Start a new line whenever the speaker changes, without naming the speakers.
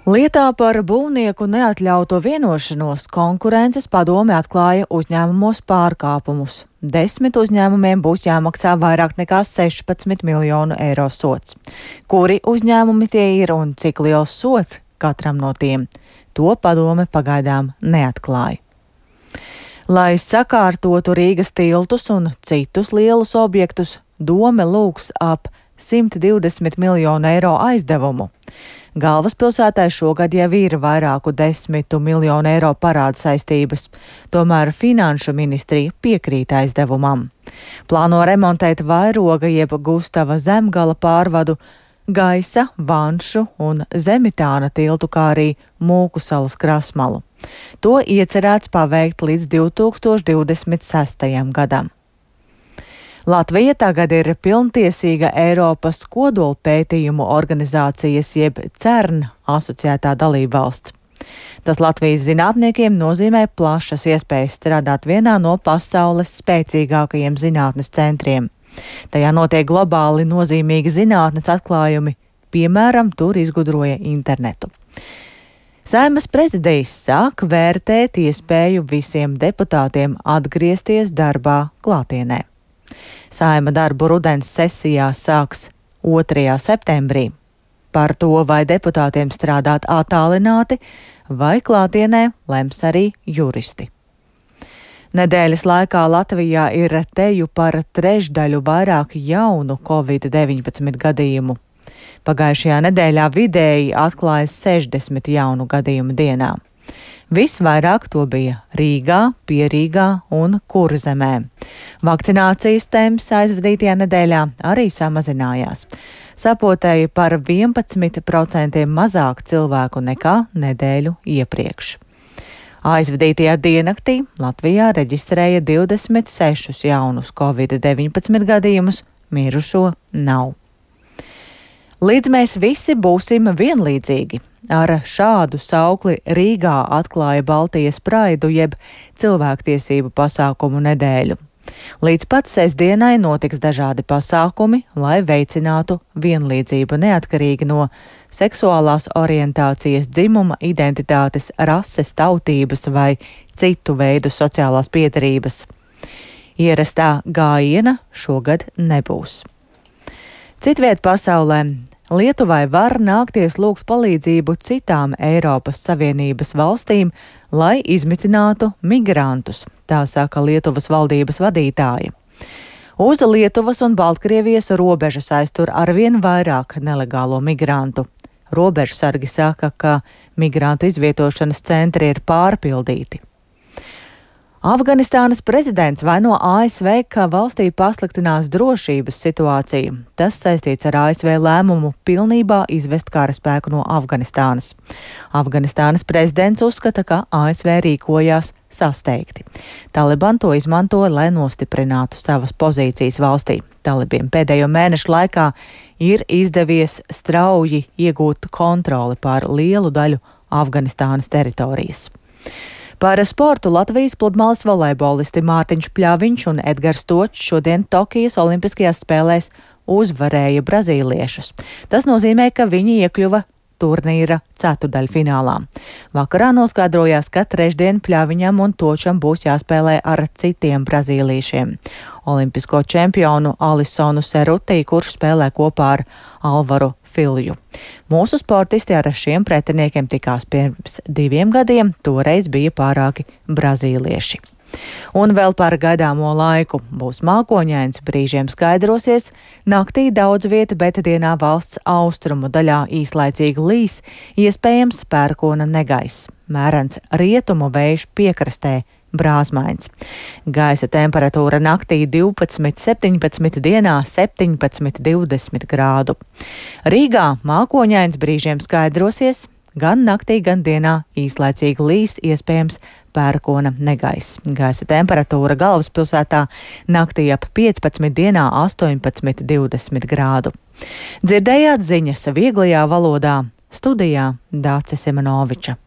Lietā par būvnieku neatļauto vienošanos Konkurences padome atklāja uzņēmumos pārkāpumus. 10 uzņēmumiem būs jāmaksā vairāk nekā 16 miljonu eiro sods. Kuri uzņēmumi tie ir un cik liels sods katram no tiem? To padome pagaidām neatklāja. Lai sakārtotu Rīgas tiltus un citus lielus objektus, dome lūgs ap 120 miljonu eiro aizdevumu. Galvaspilsētai šogad jau ir vairāku 10 miljonu eiro parāda saistības, tomēr Finanšu ministrija piekrīt aizdevumam. Plāno remontēt Vairoga jeb Gustava Zemgala pārvadu, Gaisa, Vanšu un Zemitāna tiltu, kā arī Mūkusalas krasmalu. To iecerēts paveikt līdz 2026. gadam. Latvija tagad ir pilntiesīga Eiropas kodolpētījumu organizācijas jeb CERN asociētā dalībvalsts. Tas Latvijas zinātniekiem nozīmē plašas iespējas strādāt vienā no pasaules spēcīgākajiem zinātnes centriem. Tajā notiek globāli nozīmīgi zinātnes atklājumi, piemēram, tur izgudroja internetu. Saeimas prezidijs sāk vērtēt iespēju visiem deputātiem atgriezties darbā klātienē. Saeima darbu rudens sesijā sāks 2. septembrī. Par to, vai deputātiem strādāt attālināti vai klātienē, lems arī juristi. Nedēļas laikā Latvijā ir teju par trešdaļu vairāk jaunu Covid-19 gadījumu. Pagājušajā nedēļā vidēji atklājas 60 jaunu gadījumu dienā. Visvairāk to bija Rīgā, Pierīgā un Kurzemē. Vakcinācijas temps aizvadītajā nedēļā arī samazinājās. Sapotēja par 11% mazāk cilvēku nekā nedēļu iepriekš. Aizvadītajā diennaktī Latvijā reģistrēja 26 jaunus Covid-19 gadījumus, mirušo nav. Līdz mēs visi būsim vienlīdzīgi. Ar šādu saukli Rīgā atklāja Baltijas praidu jeb cilvēktiesību pasākumu nedēļu. Līdz pat sestdienai notiks dažādi pasākumi, lai veicinātu vienlīdzību neatkarīgi no seksuālās orientācijas, dzimuma identitātes, rases, tautības vai citu veidu sociālās piederības. Ierastā gājiena šogad nebūs. Citviet pasaulē Lietuvai var nākties lūgt palīdzību citām Eiropas Savienības valstīm, lai izmitinātu migrantus, tā saka Lietuvas valdības vadītāji. Uz Lietuvas un Baltkrievijas robežas aiztur arvien vairāk nelegālo migrantu. Robežsargi saka, ka migrantu izvietošanas centri ir pārpildīti. Afganistānas prezidents vaino ASV, ka valstī pasliktinās drošības situācija. Tas saistīts ar ASV lēmumu pilnībā izvest karaspēku no Afganistānas. Afganistānas prezidents uzskata, ka ASV rīkojās sasteigti. Taliban to izmanto, lai nostiprinātu savas pozīcijas valstī. Talibiem pēdējo mēnešu laikā ir izdevies strauji iegūt kontroli pār lielu daļu Afganistānas teritorijas. Par sportu Latvijas pludmales volejbolisti Mārtiņš Pļaviņš un Edgars Točs šodien Tokijas olimpiskajās spēlēs uzvarēja brazīliešus. Tas nozīmē, ka viņi iekļuva turnīra ceturdaļfinālā. Vakarā noskaidrojās, ka trešdien Pļaviņam un Točam būs jāspēlē ar citiem brazīliešiem. Olimpisko čempionu Alisonu Serutī, kurš spēlē kopā ar Alvaru Filju. Mūsu sportisti ar šiem pretiniekiem tikās pirms 2 gadiem, toreiz bija pārāki brazīlieši. Un vēl par gaidāmo laiku. Būs mākoņains, brīžiem skaidrosies, naktī daudz vieta, bet dienā valsts austrumu daļā īslaicīgi līs, iespējams pērkona negaiss. Mērens rietumu vējš piekrastē, brāzmains. Gaisa temperatūra naktī 12–17, dienā 17–20 grādu. Rīgā mākoņains, brīžiem skaidrosies, gan naktī, gan dienā īslaicīgi līs, iespējams pērkona negaiss. Gaisa temperatūra galvaspilsētā naktī ap 15, dienā 18–20 grādu. Dzirdējāt ziņas vieglajā valodā, studijā Dāce Simonoviča.